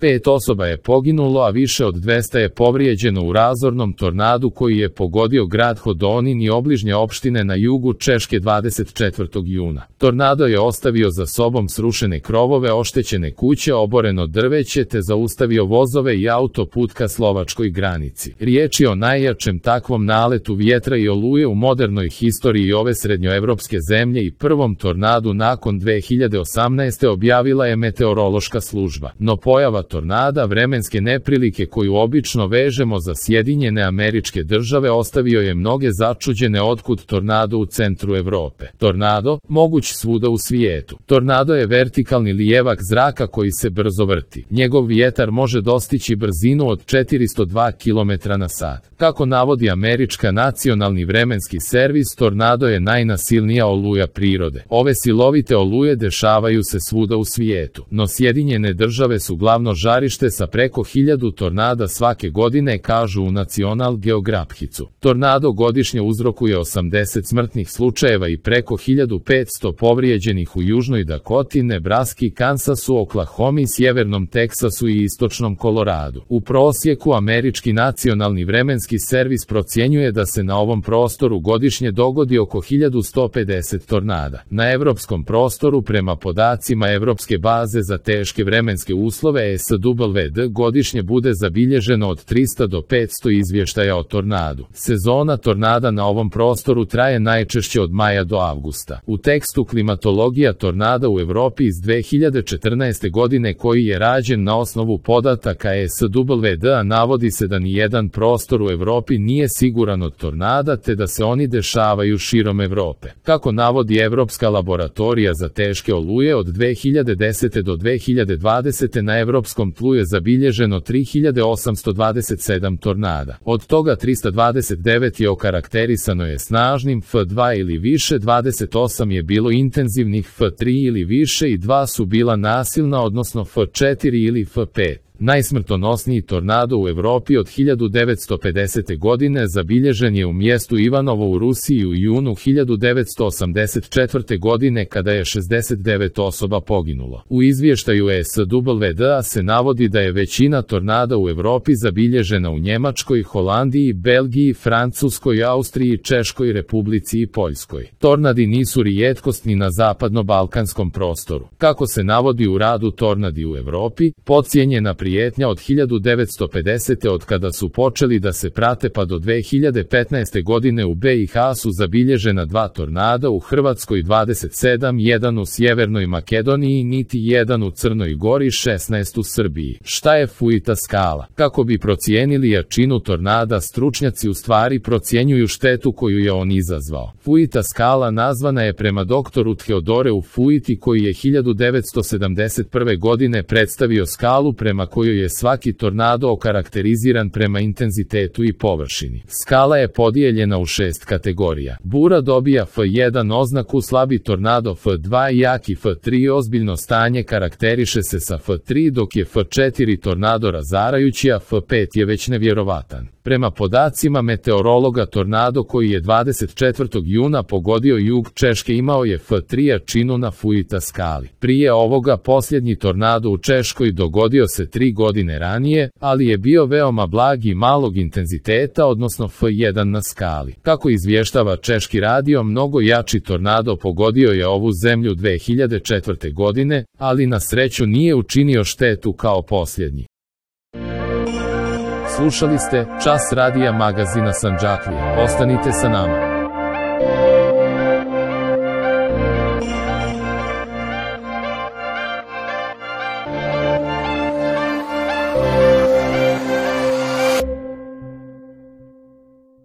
5 osoba je poginulo, a više od 200 je povrijeđeno u razornom tornadu koji je pogodio grad Hodonín i obližnje opštine na jugu Češke 24. juna. Tornado je ostavio za sobom srušene krovove, oštećene kuće, oboreno drveće te zaustavio vozove i autoput ka slovačkoj granici. Riječ je o najjačem takvom naletu vjetra i oluje u modernoj historiji ove srednjoevropske zemlje i prvom tornadu nakon 2018. objavila je meteorološka služba. No pojava tornada, vremenske neprilike koju obično vežemo za Sjedinjene Američke Države, ostavio je mnoge začuđene otkud tornado u centru Evrope. Tornado, moguć svuda u svijetu. Tornado je vertikalni lijevak zraka koji se brzo vrti. Njegov vjetar može dostići brzinu od 402 km/h. Kako navodi američka nacionalni vremenski servis, tornado je najnasilnija oluja prirode. Ove silovite oluje dešavaju se svuda u svijetu, no Sjedinjene Države su glavno žarište sa preko 1000 tornada svake godine, kažu u National Geographicu. Tornado godišnje uzrokuje 80 smrtnih slučajeva i preko 1500 povrijeđenih u Južnoj Dakoti, Nebraski, Kansasu, Oklahomi, Sjevernom Teksasu i Istočnom Koloradu. U prosjeku američki nacionalni vremenski servis procjenjuje da se na ovom prostoru godišnje dogodi oko 1150 tornada. Na evropskom prostoru, prema podacima Evropske baze za teške vremenske uslove SWD, godišnje bude zabilježeno od 300 do 500 izvještaja o tornadu. Sezona tornada na ovom prostoru traje najčešće od maja do avgusta. U tekstu Klimatologija tornada u Evropi iz 2014. godine, koji je rađen na osnovu podataka SWD, navodi se da nijedan prostor u Evropi nije siguran od tornada te da se oni dešavaju širom Evrope. Kako navodi Evropska laboratorija za teške oluje, od 2010. do 2020. na evropskom tlu je zabilježeno 3827 tornada. Od toga 329 je okarakterisano je snažnim F2 ili više, 28 je bilo intenzivnih F3 ili više i 2 su bila nasilna, odnosno F4 ili F5. Najsmrtonosniji tornado u Evropi od 1950. godine zabilježen je u mjestu Ivanovo u Rusiji u junu 1984. godine, kada je 69 osoba poginulo. U izvještaju SWD se navodi da je većina tornada u Evropi zabilježena u Njemačkoj, Holandiji, Belgiji, Francuskoj, Austriji, Češkoj Republici i Poljskoj. Tornadi nisu rijetkost ni na zapadno-balkanskom prostoru. Kako se navodi u radu Tornadi u Evropi, podcijenjena prijetnja od 1950. od kada su počeli da se prate pa do 2015. godine u BiH su zabilježena 2 tornada, u Hrvatskoj 27, jedan u Sjevernoj Makedoniji, niti jedan u Crnoj Gori, 16 u Srbiji. Šta je Fuita skala? Kako bi procijenili jačinu tornada, stručnjaci u stvari procjenjuju štetu koju je on izazvao. Fuita skala nazvana je prema doktoru Theodoreu Fuiti, koji je 1971. godine predstavio skalu prema kojoj je svaki tornado okarakteriziran prema intenzitetu i površini. Skala je podijeljena u 6 kategorija. Bura dobija F1 oznaku, slabi tornado F2, jaki F3, ozbiljno stanje karakteriše se sa F3, dok je F4 tornado razarajući, a F5 je već nevjerovatan. Prema podacima meteorologa, tornado koji je 24. juna pogodio jug Češke imao je F3 jačinu na Fuita skali. Prije ovoga posljednji tornado u Češkoj dogodio se 3 godine ranije, ali je bio veoma blag i malog intenziteta, odnosno F1 na skali. Kako izvještava češki radio, mnogo jači tornado pogodio je ovu zemlju 2004. godine, ali na sreću nije učinio štetu kao posljednji. Slušali ste Čas radija magazina Sandžaklija. Ostanite sa nama.